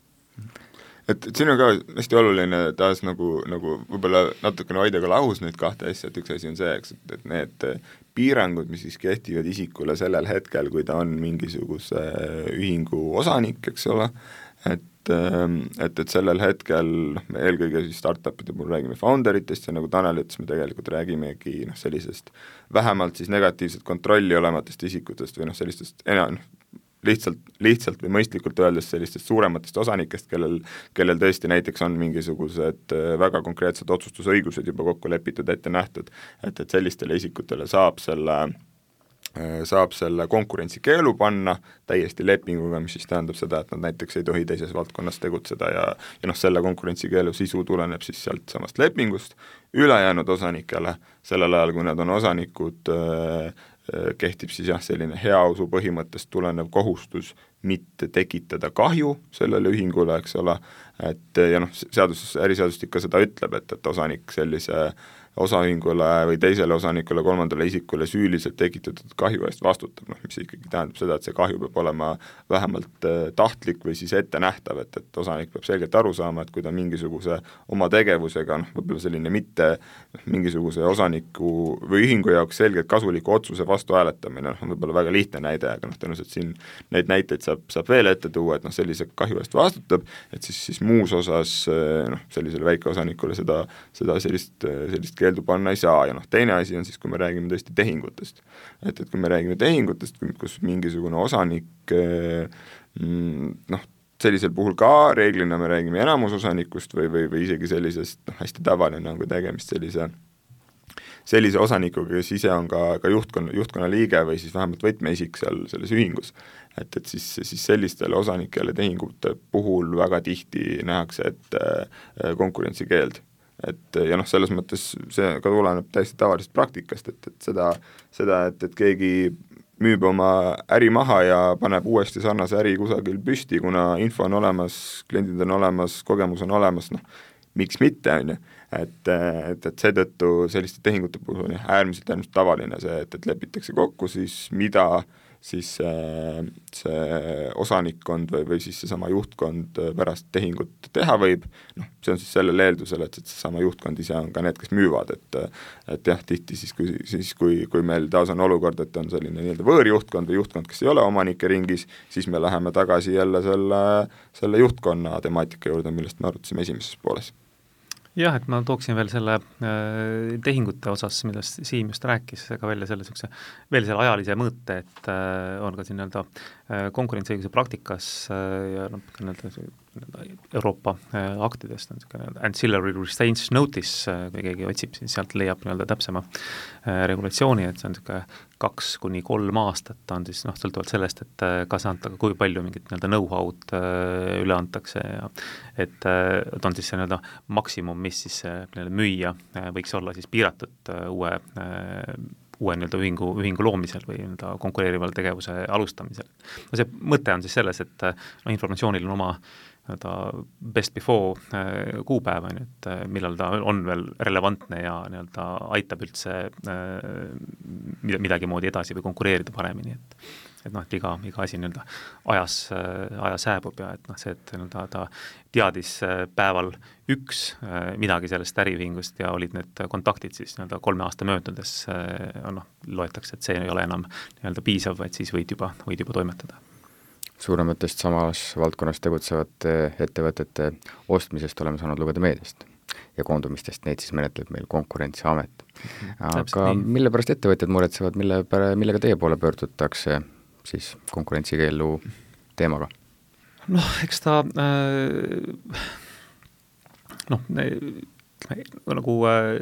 Et, et siin on ka hästi oluline taas nagu, nagu võib-olla natukene hoida ka lahus neid kahte asja, et üks asi on see, eks, et, et need piirangud, mis siis kehtivad isikule sellel hetkel, kui ta on mingisuguse ühingu osanik, eks ole, et, et, et sellel hetkel noh, me eelkõige siis startupide puhul räägime founderitest ja nagu Tanel ütles, me tegelikult räägimegi noh, sellisest vähemalt siis negatiivset kontrolli olematest isikutest või noh, sellistest enam lihtsalt, lihtsalt või mõistlikult öeldes sellistest suurematest osanikest, kellel, kellel tõesti näiteks on mingisugused väga konkreetsed otsustusõigused juba kokku lepitud, ette nähtud, et, et sellistele isikutele saab selle, saab selle konkurentsikeelu panna täiesti lepinguga, mis siis tähendab seda, et nad näiteks ei tohi teises valdkonnas tegutseda ja, ja noh, selle konkurentsikeelu sisu tuleneb siis sealt samast lepingust, ülejäänud osanikele, sellel ajal, kui nad on osanikud, kehtib siis jah, selline heausu põhimõttest tulenev kohustus mitte tekitada kahju sellele ühingule, eks ole, et ja noh, seadus, äriseadustik ka seda ütleb, et, et osanik sellise osaühingule või teisele osanikule, kolmandale isikule süüliselt tekitatud kahju eest vastutab, noh, mis ikkagi tähendab seda, et see kahju peab olema vähemalt tahtlik või siis ette nähtav, et, et osanik peab selgelt aru saama, et kui ta mingisuguse oma tegevusega, noh, võib-olla selline mitte mingisuguse osaniku või ühingu jaoks selgelt kasuliku otsuse vastu hääletamine, noh, on võib-olla väga lihtne näide, aga noh, tõenäoliselt siin neid näiteid saab, saab veel ette tuua, et noh, sellise kahju eest vastutab, et siis, siis muus osas noh, sellisele väikeosanikule seda, seda sellist, sellist keeldu panna ei saa ja noh, teine asi on siis, kui me räägime tõesti tehingutest. Et, et kui me räägime tehingutest, kus mingisugune osanik noh, sellisel puhul ka reeglina me räägime enamusosanikust või, või, või isegi sellisest noh, hästi tavaline on kui tegemist sellise sellise osanikuga, kes ise on ka, ka juhtkonna, juhtkonna liige või siis vähemalt võtmeisik seal selles ühingus. Et, et siis, siis sellistele osanikele tehingute puhul väga tihti nähakse, et konkurentsikeeld. et ja noh, selles mõttes see ka tuleneb täiesti tavalisest praktikast, et, et seda, seda, et, et keegi müüb oma äri maha ja paneb uuesti sarnase äri kusagil püsti, kuna info on olemas, kliendid on olemas, kogemus on olemas, noh, miks mitte, on ju, et, et, et seetõttu selliste tehingute puhul on äärmiselt, äärmiselt tavaline see, et, et lepitakse kokku siis, mida siis see, see osanikkond või, või siis seesama juhtkond pärast tehingut teha võib, noh, see on siis sellel eeldusel, et, et seesama juhtkond ise on ka need, kes müüvad, et et jah, tihti siis, kui, siis kui, kui meil taas on olukord, et on selline nii-öelda võõrjuhtkond või juhtkond, kes ei ole omanike ringis, siis me läheme tagasi jälle selle, selle juhtkonna temaatika juurde, millest me arutasime esimeses pooles. Jah, et ma tooksin veel selle äh, tehingute osas, millest Siim just rääkis, ka välja selle sukse, veel selle ajalise mõõte, et äh, on ka siin nii-öelda äh, konkurentsiõiguse praktikas äh, ja noh, nii-öelda Euroopa äh, aktidest on niisugune ancillary restraints notice, äh, kui keegi otsib, siis sealt leiab nii-öelda täpsema äh, regulatsiooni, et see on niisugune kaks kuni kolm aastat on siis noh, sõltuvalt sellest, et äh, kas anta, kui palju mingit nii-öelda know-how'd äh, üle antakse ja et, äh, et on siis see nii-öelda maksimum, mis siis äh, müüa äh, võiks olla siis piiratud äh, uue äh, uue nii-öelda ühingu, ühingu loomisel või nii-öelda konkureerival tegevuse alustamisel. No see mõte on siis selles, et no, informatsioonil on oma nii-öelda best before äh, kuupäeva, et äh, millal ta on veel relevantne ja nii-öelda aitab üldse äh, midagi moodi edasi või konkureerida paremini, et et noh, et iga, iga asi nii-öelda ajas, ajas hääbub ja et noh, see, et nii-öelda ta teadis päeval üks midagi sellest äriühingust ja olid need kontaktid siis nii-öelda kolme aasta möödudes, noh, loetakse, et see ei ole enam nii-öelda piisav, vaid siis võid juba, võid juba toimetada. Suurematest samas valdkonnas tegutsevate ettevõtete ostmisest oleme saanud lugeda meediast ja koondumistest, neid siis menetleb meil Konkurentsiamet. Aga mille pärast ettevõtjad muretsevad, mille pära, millega teie poole pöördutakse siis konkurentsikeelu teemaga? Noh, eks ta äh, noh, nagu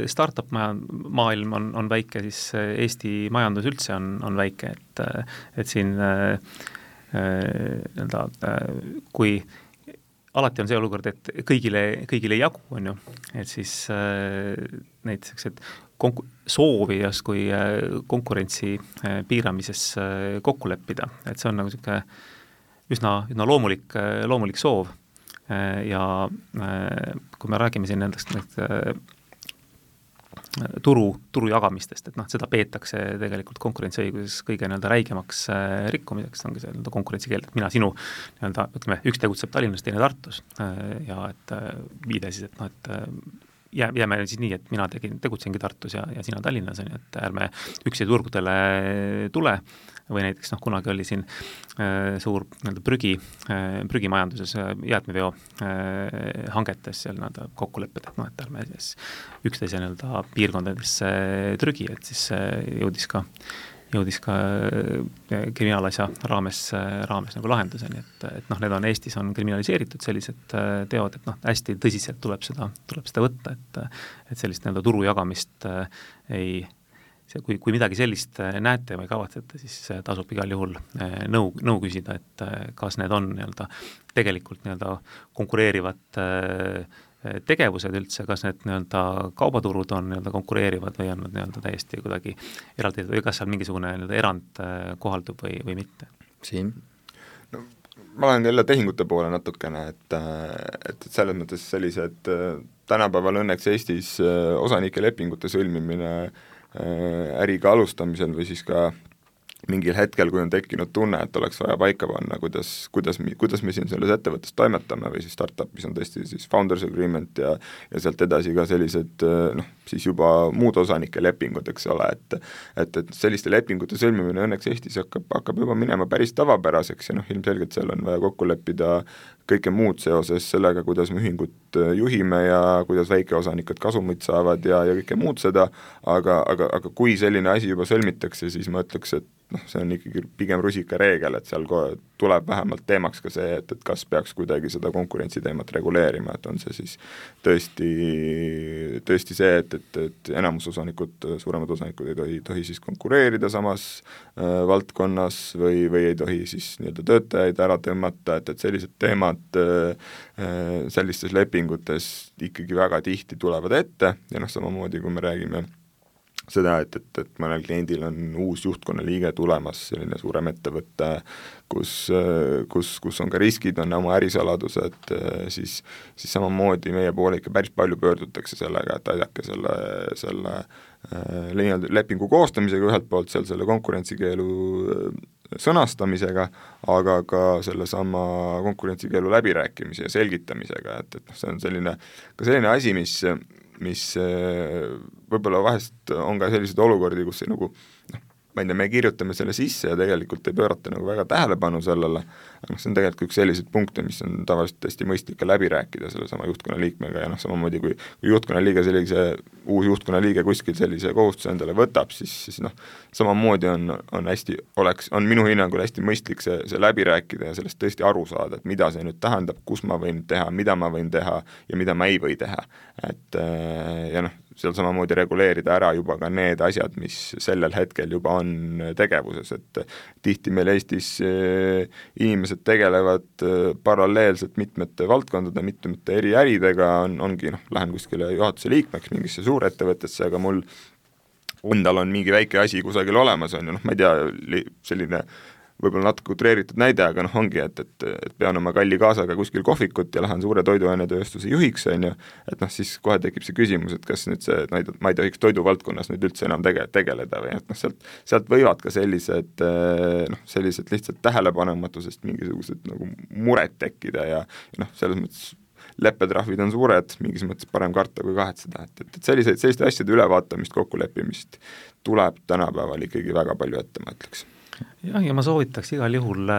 startup maailm on, on väike, siis Eesti majandus üldse on, on väike, et, et siin äh, nii-öelda äh, kui alati on see olukord, et kõigile, kõigile ei jagu, on ju, et siis äh, neid sellised konku-, soovi justkui konkurentsi piiramises kokku leppida, et see on nagu niisugune üsna, üsna loomulik, loomulik soov ja kui me räägime siin nendest need, turu, turu jagamistest, et noh, seda peetakse tegelikult konkurentsiõiguses kõige nii-öelda räigemaks rikkumiseks, ongi see nii-öelda konkurentsikeeld, et mina sinu nii-öelda, ütleme, üks tegutseb Tallinnas, teine Tartus ja et viide siis, et noh, et jää, jääme siis nii, et mina tegin, tegutsengi Tartus ja, ja sina Tallinnas, on ju, et ärme üksi turgudele tule või näiteks noh, kunagi oli siin äh, suur nii-öelda prügi, äh, prügimajanduses äh, jäätmeveo äh, hangetes seal nii-öelda kokkulepped, et noh, et ärme siis üksteise nii-öelda piirkondadesse trügi, et siis äh, jõudis ka jõudis ka kriminaalasja raames, raames nagu lahenduseni, et, et noh, need on Eestis on kriminaliseeritud sellised teod, et noh, hästi tõsiselt tuleb seda, tuleb seda võtta, et, et sellist nii-öelda turu jagamist ei, see, kui, kui midagi sellist näete või kavatsete, siis tasub igal juhul nõu, nõu küsida, et kas need on nii-öelda tegelikult nii-öelda konkureerivad tegevused üldse, kas need nii-öelda kaubaturud on nii-öelda konkureerivad või on nad nii-öelda täiesti kuidagi eraldi või kas seal mingisugune nii-öelda erand kohaldub või, või mitte? Siim? No, ma olen jälle tehingute poole natukene, et, et, et selles mõttes sellised tänapäeval õnneks Eestis osanike lepingute sõlmimine äriga alustamisel või siis ka mingil hetkel, kui on tekkinud tunne, et oleks vaja paika panna, kuidas, kuidas, kuidas me siin selles ettevõttes toimetame või siis startupis on tõesti siis founders agreement ja ja sealt edasi ka sellised noh, siis juba muud osanike lepingud, eks ole, et et, et selliste lepingute sõlmimine õnneks Eestis hakkab, hakkab juba minema päris tavapäraseks ja noh, ilmselgelt seal on vaja kokku leppida kõike muud seoses sellega, kuidas me ühingut juhime ja kuidas väikeosanikud kasumit saavad ja, ja kõike muud seda, aga, aga, aga kui selline asi juba sõlmitakse, siis ma ütleks, et noh, see on ikkagi pigem rusika reegel, et seal kohe tuleb vähemalt teemaks ka see, et, et kas peaks kuidagi seda konkurentsiteemat reguleerima, et on see siis tõesti, tõesti see, et, et, et enamus osanikud, suuremad osanikud ei tohi, tohi siis konkureerida samas äh, valdkonnas või, või ei tohi siis nii-öelda töötajaid ära tõmmata, et, et sellised teemad äh, sellistes lepingutes ikkagi väga tihti tulevad ette ja noh, samamoodi kui me räägime seda, et, et, et mõnel kliendil on uus juhtkonna liige tulemas, selline suurem ettevõte, kus, kus, kus on ka riskid, on oma ärisaladused, siis, siis samamoodi meie poole ikka päris palju pöördutakse sellega, et aidake selle, selle äh, lepingu koostamisega ühelt poolt seal selle konkurentsikeelu sõnastamisega, aga ka sellesama konkurentsikeelu läbirääkimise ja selgitamisega, et, et noh, see on selline, ka selline asi, mis mis võib-olla vahest on ka selliseid olukordi, kus nagu noh, ma ei tea, me kirjutame selle sisse ja tegelikult ei pöörata nagu väga tähelepanu sellele, aga noh, see on tegelikult üks selliseid punkte, mis on tavaliselt hästi mõistlik ka läbi rääkida sellesama juhtkonna liikmega ja noh, samamoodi kui, kui juhtkonna liige sellise, uus juhtkonna liige kuskil sellise kohustuse endale võtab, siis, siis noh, samamoodi on, on hästi, oleks, on minu hinnangul hästi mõistlik see, see läbi rääkida ja sellest tõesti aru saada, et mida see nüüd tähendab, kus ma võin teha, mida ma võin teha ja mida ma ei või teha. Et ja noh, seal samamoodi reguleerida ära juba ka need asjad, mis sellel hetkel juba on tegevuses, et tihti meil Eestis inimesed tegelevad paralleelselt mitmete valdkondade, mitmete eri äridega, on, ongi noh, lähen kuskile juhatuse liikmeks mingisse suurettevõttesse, aga mul endal on mingi väike asi kusagil olemas, on ju, noh, ma ei tea, selline võib-olla natuke utreeritud näide, aga noh, ongi, et, et, et pean oma kalli kaasaga kuskil kohvikut ja lähen suure toiduainetööstuse juhiks, on ju, et noh, siis kohe tekib see küsimus, et kas nüüd see, ma ei tohiks toiduvaldkonnas nüüd üldse enam tege-, tegeleda või et noh, sealt, sealt võivad ka sellised noh, sellised lihtsalt tähelepanematusest mingisugused nagu mured tekkida ja, ja noh, selles mõttes leppetrahvid on suured, mingis mõttes parem karta kui kahetseda, et, et, et selliseid, selliste asjade ülevaatamist, kokkuleppimist tuleb tänapäeval ikkagi väga palju ette, ma ütleks. jah, ja ma soovitaks igal juhul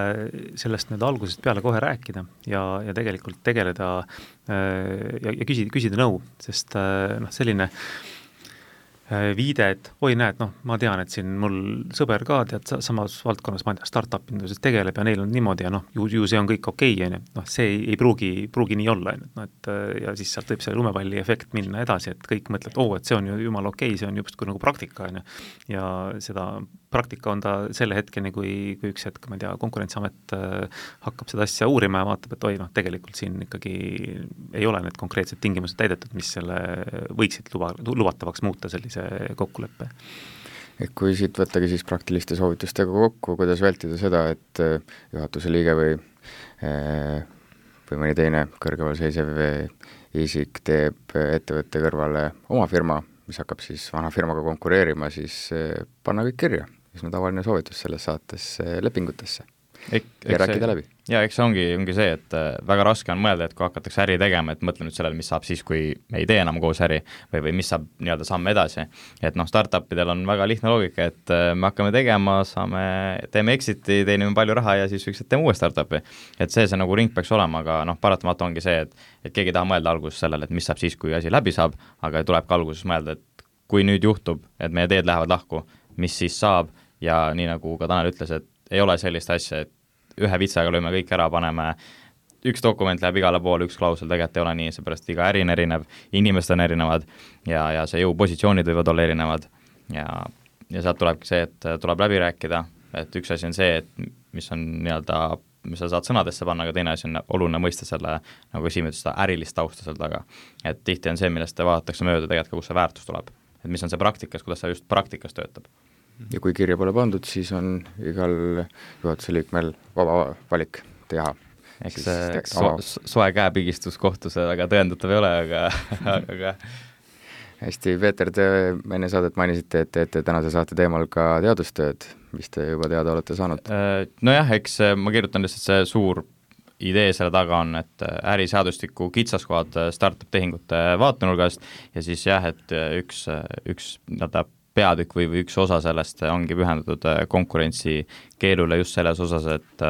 sellest nüüd algusest peale kohe rääkida ja, ja tegelikult tegeleda ja, ja küsida, küsida nõu, sest noh, selline viide, et oi näed, noh, ma tean, et siin mul sõber ka tead samas valdkonnas, ma ei tea, startup induses tegeleb ja neil on niimoodi ja noh, ju, ju see on kõik okei, on ju, noh, see ei, ei pruugi, pruugi nii olla, on ju, noh, et ja siis sealt võib see lumepalli efekt minna edasi, et kõik mõtlevad, oo, et see on ju jumala okei, see on justkui nagu praktika, on ju, ja seda praktika on ta selle hetkeni, kui, kui üks hetk, ma ei tea, Konkurentsiamet hakkab seda asja uurima ja vaatab, et oi, noh, tegelikult siin ikkagi ei ole need konkreetsed tingimused täidetud, mis selle võiksid luba, lubatavaks muuta sellise kokkuleppe. Et kui siit võttagi siis praktiliste soovitustega kokku, kuidas vältida seda, et juhatuse liige või, või mõni teine kõrgemal seisev isik teeb ettevõtte kõrvale oma firma, mis hakkab siis vana firmaga konkureerima, siis panna kõik kirja, mis on tavaline soovitus selles saates lepingutesse Ek, ja rääkida see, läbi. Ja eks see ongi, ongi see, et väga raske on mõelda, et kui hakatakse äri tegema, et mõtle nüüd sellele, mis saab siis, kui me ei tee enam koos äri või, või mis saab nii-öelda samm edasi. Et noh, startupidel on väga lihtne loogika, et me hakkame tegema, saame, teeme exit'i, teenime palju raha ja siis üks, et teeme uue startupi. Et see, see nagu ring peaks olema, aga noh, paratamatu ongi see, et, et keegi ei taha mõelda alguses sellele, et mis saab siis, kui asi läbi saab, aga tuleb ka alguses mõelda, et kui nüüd juhtub, et meie teed lähevad lahku, mis siis saab ja nii nagu ka Tanel ütles, et ei ole sellist asja, et ühe vitsaga lööme kõik ära, paneme, üks dokument läheb igale poole, üks klausel tegelikult ei ole nii, seepärast iga äri on erinev, inimesed on erinevad ja, ja see jõupositsioonid võivad olla erinevad ja, ja sealt tulebki see, et tuleb läbi rääkida, et üks asi on see, et mis on nii-öelda, mis sa saad sõnadesse panna, aga teine asi on oluline mõista selle, nagu esimene seda ärilist tausta seal taga. Et tihti on see, millest vaadatakse mööda tegelikult, kus see väärtus tuleb. Et mis on see praktikas, kuidas see just praktikas töötab. Ja kui kirja pole pandud, siis on igal juhatuse liikmel vaba valik teha. Eks see so, soe käepigistus kohtus väga tõendatav ei ole, aga, aga hästi, Peeter, te enne saadet mainisite, et teete tänase saate teemal ka teadustööd, mis te juba teada olete saanud? Nojah, eks ma kirjutan lihtsalt see suur idee selle taga on, et äriseadustiku kitsaskohad startup-tehingute vaatenurgast ja siis jah, et üks, üks nii-öelda peatükk või, või üks osa sellest ongi pühendatud konkurentsi keelule just selles osas, et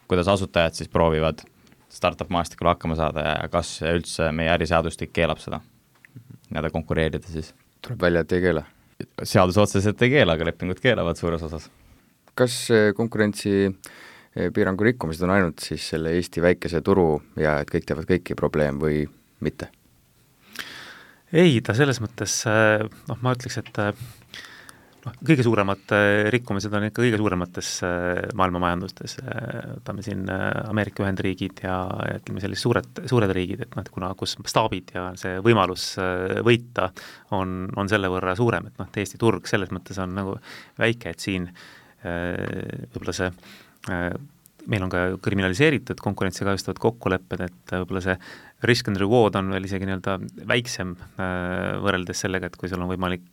kuidas asutajad siis proovivad startup maastikul hakkama saada ja kas üldse meie äriseadustik keelab seda, nii-öelda konkureerida siis. Tuleb välja, et ei keela? Seadus otseselt ei keela, aga lepingud keelavad suures osas. kas konkurentsi piirangu rikkumised on ainult siis selle Eesti väikese turu ja et kõik teevad kõiki probleem või mitte? Ei, ta selles mõttes, noh, ma ütleks, et noh, kõige suuremad rikkumised on ikka kõige suuremates maailma majandustes, võtame siin Ameerika Ühendriigid ja ütleme sellised suured, suured riigid, et noh, kuna kus staabid ja see võimalus võita on, on selle võrra suurem, et noh, Eesti turg selles mõttes on nagu väike, et siin võib-olla see meil on ka kriminaliseeritud konkurentsi kahjustavad kokkulepped, et võib-olla see risk and reward on veel isegi nii-öelda väiksem võrreldes sellega, et kui sul on võimalik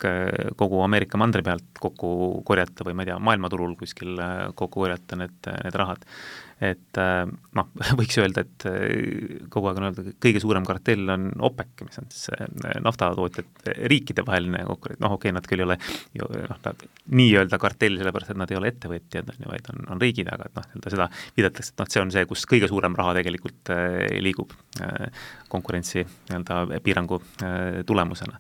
kogu Ameerika mandri pealt kokku korjata või ma ei tea, maailmaturul kuskil kokku korjata need, need rahad. Et noh, võiks öelda, et kogu aeg on öelda, kõige suurem kartell on OPEC, mis on siis naftatootjad riikide vaheline konkurent, noh okei okay,, nad küll ei ole ju, noh, nii-öelda kartell, sellepärast, et nad ei ole ettevõtjad, vaid on, on riigid, aga et noh, seda viidatakse, et noh, see on see, kus kõige suurem raha tegelikult liigub konkurentsi nii-öelda piirangu tulemusena.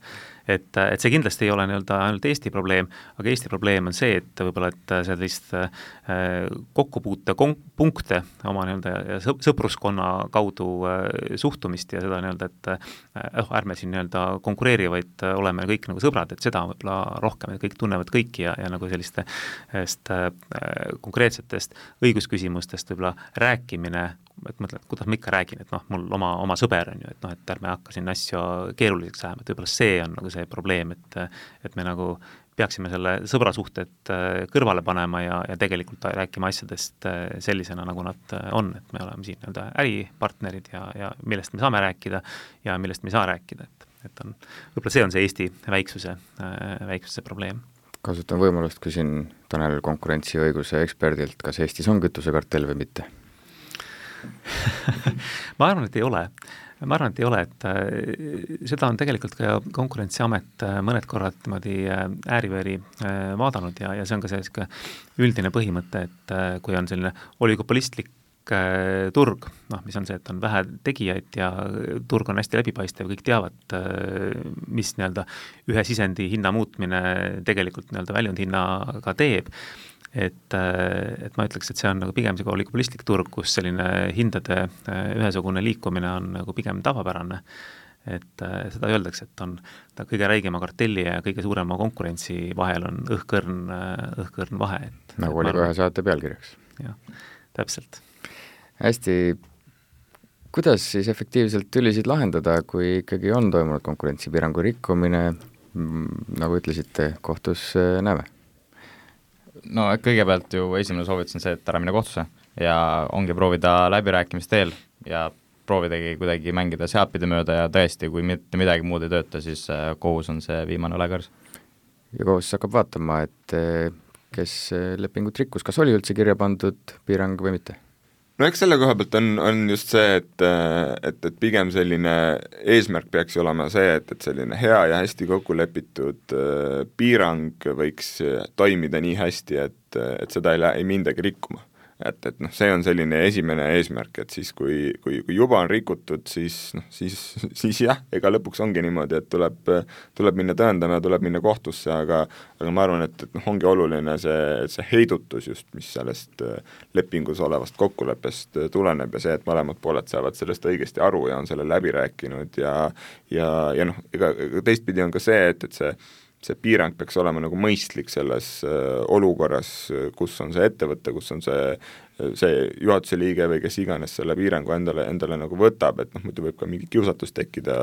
Et, et see kindlasti ei ole nii-öelda ainult Eesti probleem, aga Eesti probleem on see, et võib-olla, et sellist kokkupuute punkte oma nii-öelda sõpruskonna kaudu suhtumist ja seda nii-öelda, et oh, ärme siin nii-öelda konkureerivaid oleme kõik nagu sõbrad, et seda võib-olla rohkem, et kõik tunnevad kõiki ja, ja nagu selliste konkreetsetest õigusküsimustest võib-olla rääkimine, et mõtled, kuidas ma ikka räägin, et noh, mul oma, oma sõber on ju, et noh, et ärme hakka siin asju keeruliseks ajama, et võib-olla see on nagu see probleem, et, et me nagu peaksime selle sõbrasuhted kõrvale panema ja, ja tegelikult rääkima asjadest sellisena, nagu nad on, et me oleme siin nii-öelda äripartnerid ja, ja millest me saame rääkida ja millest me ei saa rääkida, et, et on, võib-olla see on see Eesti väiksuse, väiksuse probleem. Kasutan võimalust, küsin Tanel konkurentsiõiguse eksperdilt, kas Eestis on kütusekartell või mitte? ma arvan, et ei ole. Ma arvan, et ei ole, et seda on tegelikult ka Konkurentsiamet mõned korrad niimoodi ääri-veeri vaadanud ja, ja see on ka see üldine põhimõte, et kui on selline oligopolistlik turg, noh, mis on see, et on vähe tegijaid ja turg on hästi läbipaistev, kõik teavad, mis nii-öelda ühe sisendi hinna muutmine tegelikult nii-öelda väljundhinnaga teeb, et, et ma ütleks, et see on nagu pigem see oligopolistlik turg, kus selline hindade ühesugune liikumine on nagu pigem tavapärane, et seda öeldakse, et on ta kõige räigema kartelli ja kõige suurema konkurentsi vahel on õhkõrn, õhkõrn vahe. Et, nagu oli ka ühe saate pealkirjaks. Jah, täpselt. Hästi, kuidas siis efektiivselt tülisid lahendada, kui ikkagi on toimunud konkurentsipiirangu rikkumine, nagu ütlesite, kohtus näeme? No kõigepealt ju esimene soovitus on see, et ära mine kohtusse ja ongi proovida läbirääkimist teel ja proovidagi kuidagi mängida sealtpidi mööda ja tõesti, kui mitte midagi muud ei tööta, siis kohus on see viimane õlekõrs. Ja kohus hakkab vaatama, et kes lepingut rikkus, kas oli üldse kirja pandud piirang või mitte? No eks selle koha pealt on, on just see, et, et, et pigem selline eesmärk peaks olema see, et, et selline hea ja hästi kokku lepitud piirang võiks toimida nii hästi, et, et seda ei, ei mindagi rikkuma. Et, et noh, see on selline esimene eesmärk, et siis kui, kui, kui juba on rikutud, siis, noh, siis, siis jah, ega lõpuks ongi niimoodi, et tuleb, tuleb minna tõendama ja tuleb minna kohtusse, aga, aga ma arvan, et, et noh, ongi oluline see, see heidutus just, mis sellest lepingus olevast kokkuleppest tuleneb ja see, et mõlemad pooled saavad sellest õigesti aru ja on selle läbi rääkinud ja, ja, ja noh, ega teistpidi on ka see, et, et see see piirang peaks olema nagu mõistlik selles äh, olukorras, kus on see ettevõte, kus on see, see juhatuse liige või kes iganes selle piirangu endale, endale nagu võtab, et noh, muidu võib ka mingi kiusatus tekkida,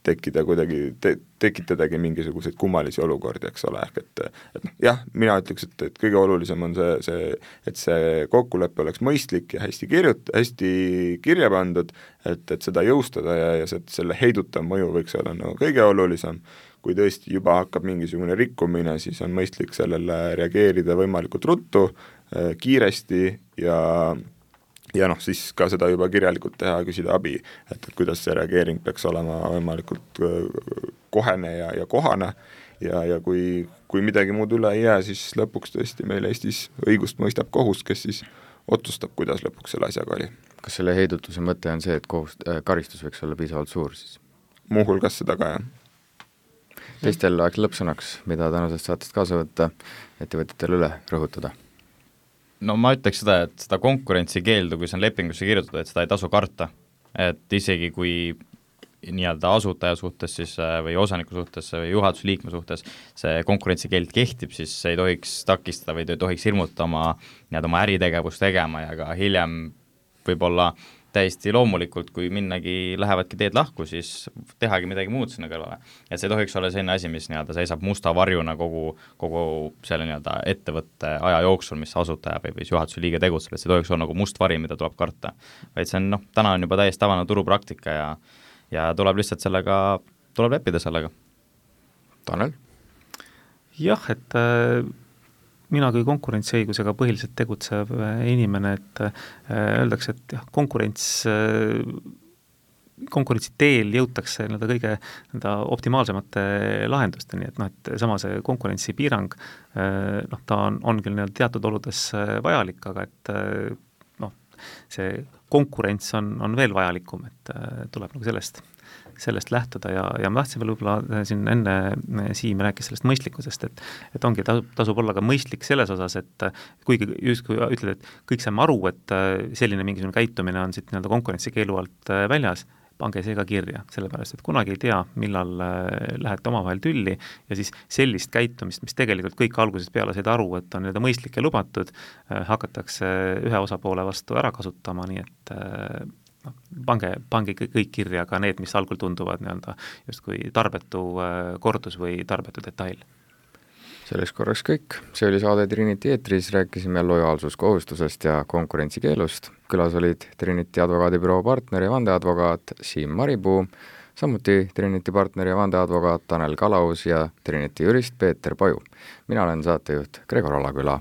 tekkida kuidagi, te, tekitadagi mingisuguseid kummalisi olukordi, eks ole, ehk et, et noh, jah, mina ütleks, et, et kõige olulisem on see, see, et see kokkulepe oleks mõistlik ja hästi kirjut-, hästi kirja pandud, et, et seda jõustada ja, ja see, selle heidutav mõju võiks olla nagu kõige olulisem. Kui tõesti juba hakkab mingisugune rikkumine, siis on mõistlik sellele reageerida võimalikult ruttu, kiiresti ja, ja noh, siis ka seda juba kirjalikult teha, küsida abi, et, et kuidas see reageering peaks olema võimalikult kohene ja, ja kohane ja, ja kui, kui midagi muud üle ei jää, siis lõpuks tõesti meil Eestis õigust mõistab kohus, kes siis otsustab, kuidas lõpuks selle asjaga oli. Kas selle heidutuse mõte on see, et kohus, äh, karistus võiks olla piisavalt suur siis? Muuhulgas seda ka, jah. Teistel aeg lõppsõnaks, mida tänasest saatest kaasa võtta, ettevõtjatele üle rõhutada? no ma ütleks seda, et seda konkurentsikeeldu, kui see on lepingusse kirjutatud, et seda ei tasu karta. Et isegi kui nii-öelda asutaja suhtes siis või osaniku suhtes või juhatusliikme suhtes see konkurentsikeeld kehtib, siis see ei tohiks takistada või ei tohiks hirmutada oma, nii-öelda oma äritegevust tegema ja ka hiljem võib-olla täiesti loomulikult, kui minnagi lähevadki teed lahku, siis tehagi midagi muud sinna kõrvale. Et see ei tohiks olla selline asi, mis nii-öelda seisab musta varjuna kogu, kogu selle nii-öelda ettevõtte aja jooksul, mis asutaja või, või juhatuse liige tegutseb, et see tohiks olla nagu must vari, mida tuleb karta. Vaid see on, noh, täna on juba täiesti tavane turupraktika ja ja tuleb lihtsalt sellega, tuleb leppida sellega. Tanel? Jah, et äh, mina kui konkurentsiõigusega põhiliselt tegutsev inimene, et äh, öeldakse, et jah, konkurents, äh, konkurentsi teel jõutakse nii-öelda kõige nii-öelda optimaalsemate lahendusteni, et noh, et sama see konkurentsipiirang, äh, noh, ta on, on küll nii-öelda teatud oludes vajalik, aga et äh, see konkurents on, on veel vajalikum, et äh, tuleb nagu sellest, sellest lähtuda ja, ja ma tahtsin veel võib-olla siin enne Siim rääkis sellest mõistlikkusest, et, et ongi, tasub, tasub olla ka mõistlik selles osas, et kuigi justkui ütled, et kõik saame aru, et selline mingisugune käitumine on siit nii-öelda konkurentsikeelu alt väljas, pange see ka kirja, sellepärast, et kunagi ei tea, millal lähete omavahel tülli ja siis sellist käitumist, mis tegelikult kõik algusest peale said aru, et on nii-öelda mõistlik ja lubatud, hakatakse ühe osapoole vastu ära kasutama, nii et no, pange, pange kõik kirja ka need, mis algul tunduvad nii-öelda justkui tarbetu kordus või tarbetu detail. Selleks korraks kõik, see oli saade Trinity eetris, rääkisime lojaalsuskohustusest ja konkurentsikeelust. Külas olid Trinity advokaadibüroo partner ja vandeadvokaat Siim Maripuu, samuti Trinity partner ja vandeadvokaat Tanel Kalaus ja Trinity jurist Peeter Paju. Mina olen saatejuht Gregor Alaküla.